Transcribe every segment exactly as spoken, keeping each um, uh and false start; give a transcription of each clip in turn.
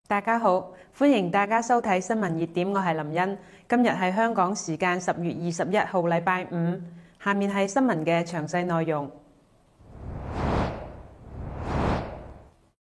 大家好，歡迎大家收睇新聞熱點，我係林茵。今日係香港時間十月二十一號，禮拜五。下面係新聞嘅詳細內容。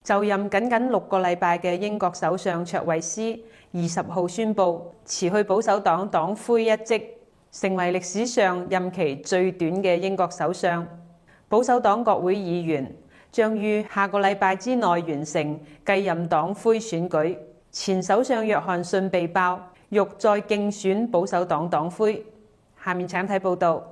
就任僅僅六個禮拜嘅英國首相卓慧思，二十號宣布辭去保守黨黨魁一職，成為歷史上任期最短嘅英國首相。保守黨國會議員將於下個禮拜之內完成繼任黨魁選舉。前首相約翰遜被爆欲再競選保守黨黨魁。下面請睇報道。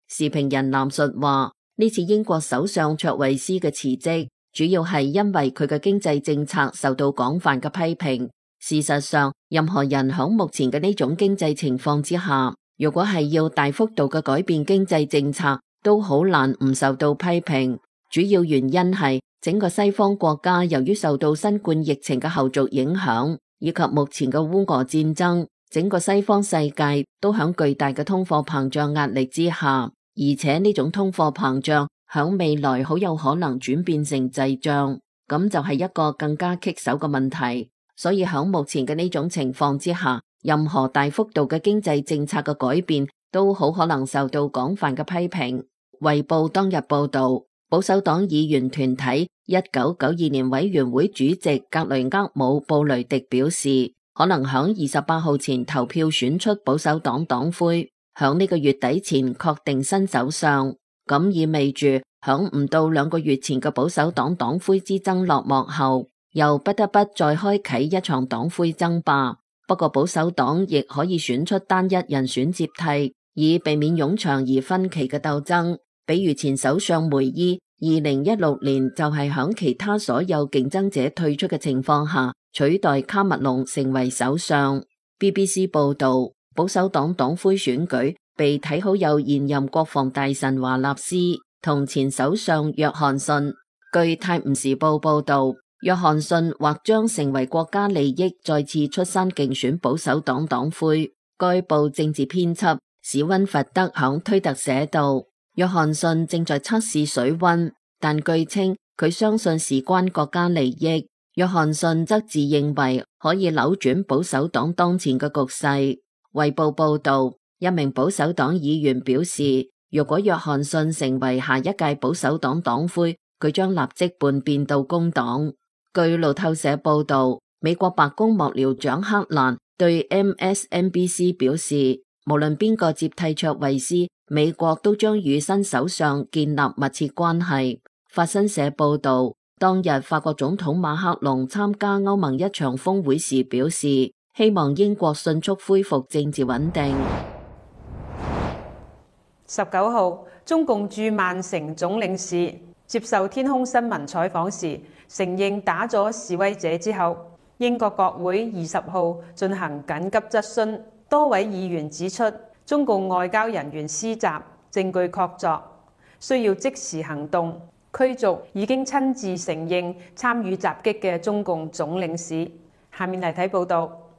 時評人藍述話：呢次英國首相卓慧思嘅辭職，主要係因為佢嘅經濟政策受到廣泛嘅批評。事實上，任何人響目前嘅呢種經濟情況之下，如果係要大幅度嘅改變經濟政策，都好難唔受到批評。主要原因係整個西方國家由於受到新冠疫情嘅後續影響，以及目前嘅烏俄戰爭，整個西方世界都響巨大嘅通貨膨脹壓力之下，而且呢種通貨膨脹響未來好有可能轉變成滯脹，咁就係一個更加棘手嘅問題。所以響目前嘅呢種情況之下，任何大幅度嘅經濟政策嘅改變都好可能受到廣泛嘅批評。衛報當日報道，保守黨議員團體一九九二年委員會主席格雷厄姆布雷迪表示，可能響二十八號前投票選出保守黨黨魁，響呢個月底前確定新首相。咁意味住響唔到兩個月前嘅保守黨黨魁之爭落幕後，又不得不再開啟一場黨魁爭霸。不過保守黨亦可以選出單一人選接替，以避免冗長而分歧嘅鬥爭。比如前首相梅伊，二零一六年就係響其他所有競爭者退出嘅情況下，取代卡麥隆成為首相。B B C 報道，保守黨黨魁選舉被睇好有現任國防大臣華納斯同前首相約翰遜。據泰晤士報報道，約翰遜或將成為國家利益再次出山競選保守黨黨魁。該報政治編輯史溫佛德響推特寫道，約翰遜正在測試水溫，但據稱佢相信事關國家利益。約翰遜則自認為可以扭轉保守黨當前嘅局勢。衛報報道，一名保守黨議員表示，如果約翰遜成為下一屆保守黨黨魁，佢將立即叛變到工黨。據路透社報道，美國白宮幕僚長克蘭對 M S N B C 表示，無論邊個接替卓慧思，美國都將與新首相建立密切關係。法新社報道，當日法國總統馬克龍參加歐盟一場峰會時表示，希望英國迅速恢復政治穩定。十九號，中共駐曼城總領事接受天空新聞採訪時，承認打咗示威者之後，英國國會二十號進行緊急質詢，多位議員指出，中共外交人員施襲，證據確鑿，需要即時行動，驅逐已經親自承認參與襲擊嘅中共總領事。下面嚟睇報道。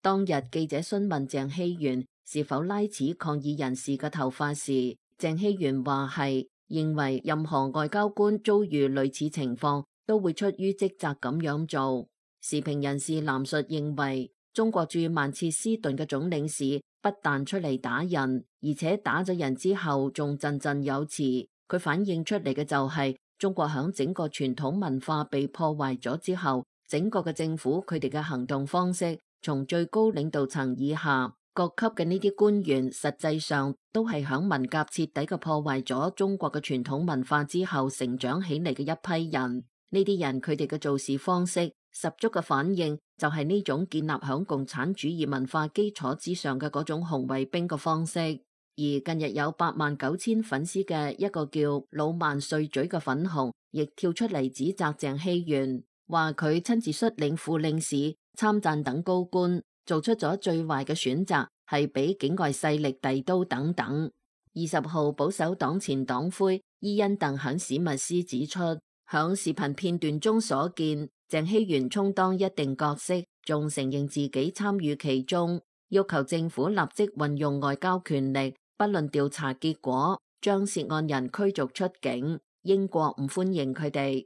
當日記者詢問鄭希元是否拉扯抗議人士嘅頭髮時，鄭希元話係，認為任何外交官遭遇類似情況都會出於職責咁樣做。時評人士藍述認為，中國駐曼徹斯頓嘅總領事不但出嚟打人，而且打咗人之後仲振振有詞。佢反映出嚟嘅就係中國響整個傳統文化被破壞咗之後，整個嘅政府佢哋嘅行動方式，從最高領導層以下各級嘅呢啲官員，實際上都係響文革徹底嘅破壞咗中國嘅傳統文化之後成長起嚟嘅一批人。呢啲人佢哋嘅做事方式十足嘅反映就係呢種建立響共產主義文化基礎之上嘅嗰種紅衛兵嘅方式。而近日有八萬九千粉絲嘅一個叫老萬碎嘴嘅粉紅，亦跳出嚟指責鄭希元，話佢親自率領副領事、參贊等高官做出咗最壞嘅選擇，係俾境外勢力遞刀等等。二十號保守黨前黨魁伊恩鄧肯史密斯指出，響視頻片段中所見，鄭希元充當一定角色，仲承認自己參與其中，要求政府立即運用外交權力，不論調查結果，將涉案人驅逐出境。英國唔歡迎佢哋。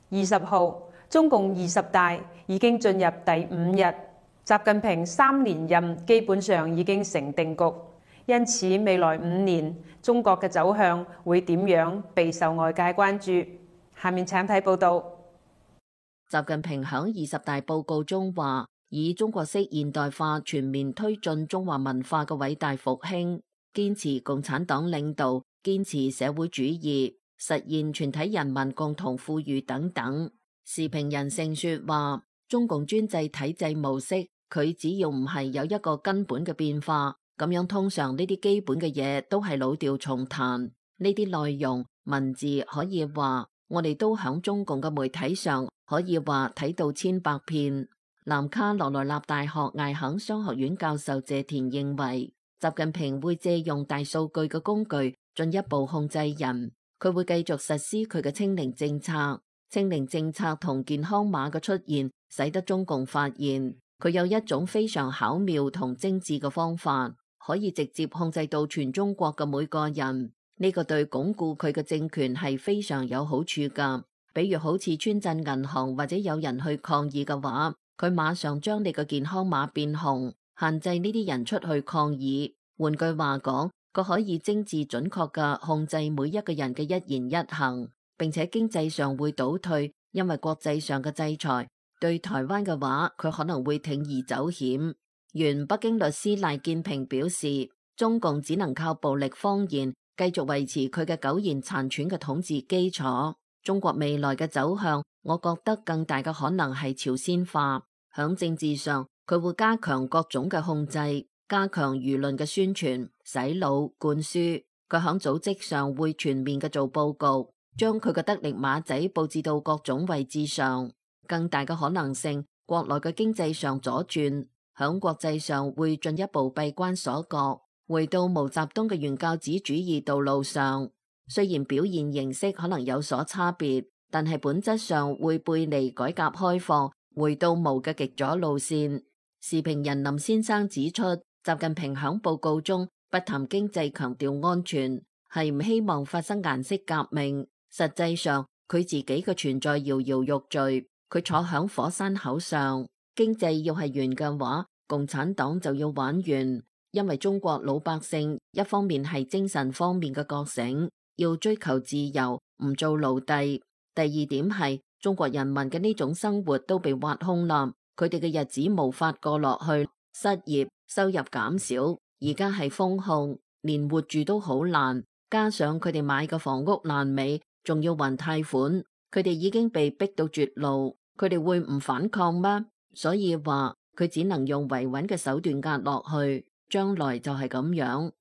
二十號，中共二十大已經進入第五日，習近平三連任基本上已經成定局，因此未來五年中國嘅走向會點樣備受外界關注。下面請睇報道。習近平響二十大報告中話，以中國式現代化全面推進中華文化嘅偉大復興，堅持共產黨領導，堅持社會主義，實現全體人民共同富裕等等。時評人盛說話，中共專制體制模式，佢只要唔係有一個根本嘅變化，咁樣通常呢啲基本嘅嘢都係老調重彈。呢啲內容文字可以話，我哋都響中共嘅媒體上可以話睇到千百遍。南卡羅來納大學艾肯商學院教授謝田認為，習近平會借用大數據嘅工具進一步控制人，佢會繼續實施佢嘅清零政策。清零政策同健康碼嘅出現，使得中共發現佢有一種非常巧妙同精緻嘅方法，可以直接控制到全中國嘅每個人。呢個對鞏固佢嘅政權係非常有好處㗎。比如好似村鎮銀行或者有人去抗議嘅話，佢馬上將你嘅健康碼變紅，限制呢啲人出去抗議。換句話講，佢可以精緻準確嘅控制每一個人嘅一言一行，並且經濟上會倒退，因為國際上嘅制裁。對台灣嘅話，佢可能會鋌而走險。原北京律師賴建平表示，中共只能靠暴力謊言繼續維持佢嘅苟延殘喘嘅統治基礎。中國未來嘅走向，我覺得更大嘅可能係朝鮮化。響政治上，佢會加強各種嘅控制，加強輿論嘅宣傳、洗腦、灌輸。佢響組織上會全面嘅做報告，將佢嘅得力馬仔佈置到各種位置上。更大嘅可能性，國內嘅經濟上左轉，響國際上會進一步閉關鎖國，回到毛澤東嘅原教旨主義道路上。雖然表現形式可能有所差別，但係本質上會背離改革開放，回到毛嘅極左路線。時評人林先生指出，習近平響報告中不談經濟，強調安全，係唔希望發生顏色革命。實際上，佢自己嘅存在搖搖欲墜，佢坐響火山口上。經濟要係完嘅話，共產黨就要玩完，因為中國老百姓一方面係精神方面嘅覺醒，要追求自由，唔做奴隸。第二點係中國人民嘅呢種生活都被挖空啦，佢哋嘅日子無法過落去，失業，收入減少，而家係封控，連活住都好難。加上佢哋買嘅房屋爛尾，仲要還貸款，佢哋已經被逼到絕路，佢哋會唔反抗咩？所以話佢只能用維穩嘅手段壓落去，將來就係咁樣。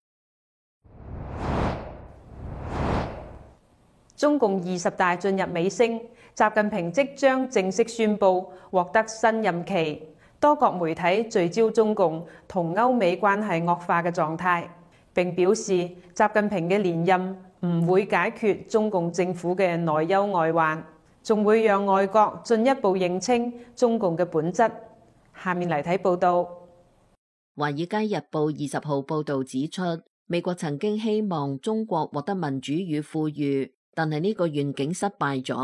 中共二十大進入尾聲，習近平即將正式宣布獲得新任期。多國媒體聚焦中共同歐美關係惡化嘅狀態，並表示習近平嘅連任唔會解決中共政府嘅內憂外患，仲會讓外國進一步認清中共嘅本質。下面嚟睇報道。《華爾街日報》二十號報導指出，美國曾經希望中國獲得民主與富裕，但係呢個願景失敗咗。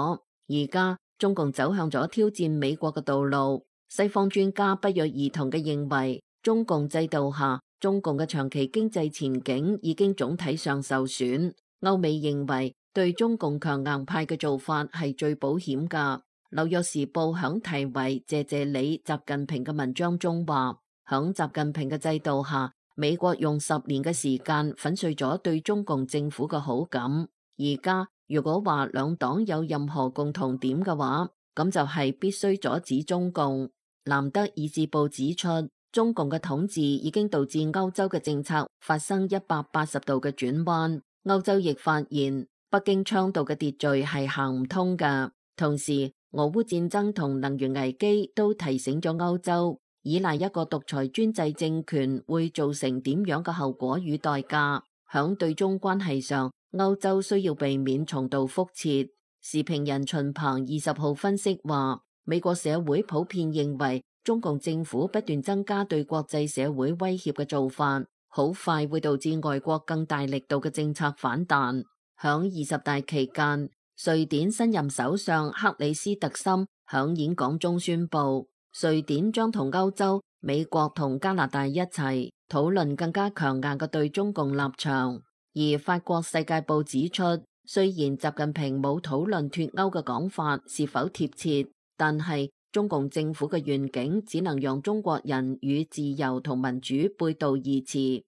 而家中共走向咗挑戰美國嘅道路。西方專家不約而同嘅認為，中共制度下，中共嘅長期經濟前景已經總體上受損。歐美認為對中共強硬派嘅做法係最保險㗎。紐約時報響題為謝謝你習近平嘅文章中話，響習近平嘅制度下，美國用十年嘅時間粉碎咗對中共政府嘅好感。而家如果話兩黨有任何共同點嘅話，咁就係必須阻止中共。南德意志報指出，中共嘅統治已經導致歐洲嘅政策發生一百八十度嘅轉彎。歐洲亦發現北京倡導嘅秩序係行唔通㗎。同時，俄烏戰爭同能源危機都提醒咗歐洲，依賴一個獨裁專制政權會造成點樣嘅後果與代價。響對中關係上，歐洲需要避免重蹈覆轍。時評人秦鵬二十號分析話，美國社會普遍認為中共政府不斷增加對國際社會威脅嘅做法，好快會導致外國更大力度嘅政策反彈。響二十大期間，瑞典新任首相克里斯特森響演講中宣布，瑞典將同歐洲、美國同加拿大一齊討論更加強硬嘅對中共立場。而法國世界報指出，雖然習近平冇討論脫歐嘅講法是否貼切，但係中共政府嘅願景只能讓中國人與自由同民主背道而馳。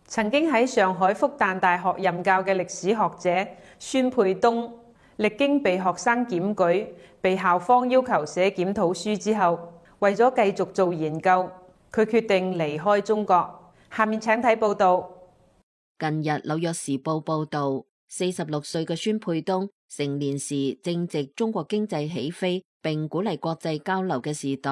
曾經喺上海復旦大學任教嘅歷史學者孫沛東，歷經被學生檢舉、被校方要求寫檢討書之後，為咗繼續做研究，佢決定離開中國。下面請睇報導。近日《紐約時報》報導，四十六歲嘅孫沛東成年時正值中國經濟起飛並鼓勵國際交流嘅時代。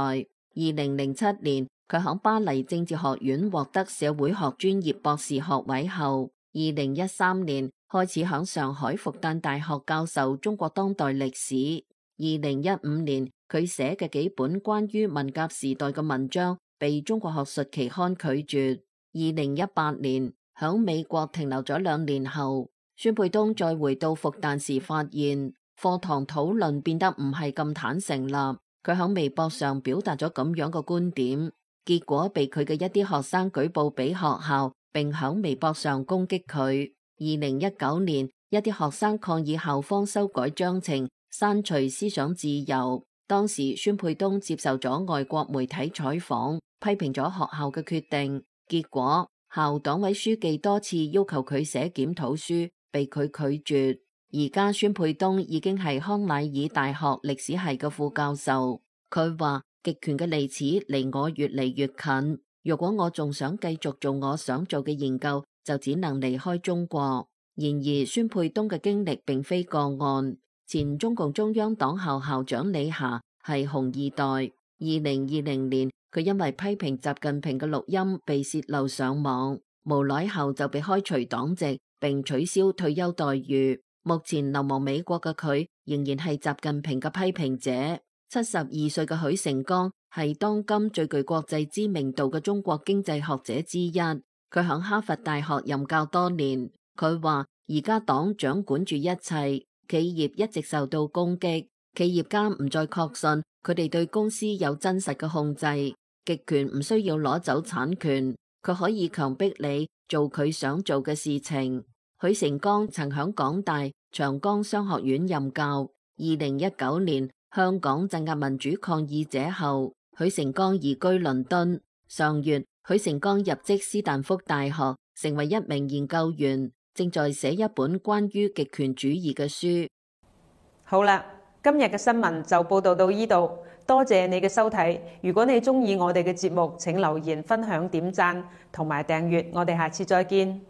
二零零七年，佢喺巴黎政治學院獲得社會學專業博士學位後，二零一三年開始喺上海復旦大學教授中國當代歷史。二零一五年，佢寫嘅幾本關於文革時代嘅文章被中國學術期刊拒絕。二零一八年，喺美國停留咗兩年後，孫沛東再回到復旦時，發現課堂討論變得唔係咁坦誠啦。佢喺微博上表達咗咁樣嘅觀點，結果被佢嘅一啲學生舉報俾學校，並喺微博上攻擊佢。二零一九年，一啲學生抗議校方修改章程，刪除思想自由。當時孫沛東接受咗外國媒體採訪，批評咗學校嘅決定。結果校黨委書記多次要求佢寫檢討書，被佢拒絕。而家孫沛東已經係康乃爾大學歷史系嘅副教授。佢話極權嘅利齒離我越嚟越近，如果我仲想繼續做我想做嘅研究，就只能離開中國。然而孫沛東嘅經歷並非個案。前中共中央黨校校長李霞係紅二代。二零二零年，佢因為批評習近平嘅錄音被洩漏上網，無奈後就被開除黨籍並取消退休待遇。目前流亡美國嘅佢仍然係習近平嘅批評者。七十二歲嘅許成江係當今最具國際知名度嘅中國經濟學者之一。佢響哈佛大學任教多年。佢話而家黨掌管住一切，企業一直受到攻擊，企業家唔再確信佢哋對公司有真實嘅控制。極權唔需要攞走產權，佢可以強迫你做佢想做嘅事情。許成江曾響港大長江商學院任教。二零一九年香港鎮壓民主抗議者後，許成江移居倫敦。上月，許成江入職斯坦福大學，成為一名研究員，正在寫一本關於極權主義嘅書。好啦，今日嘅新聞就報道到呢度，多謝你嘅收睇。如果你鍾意我哋嘅節目，請留言、分享、點讚同埋訂閱。我哋下次再見。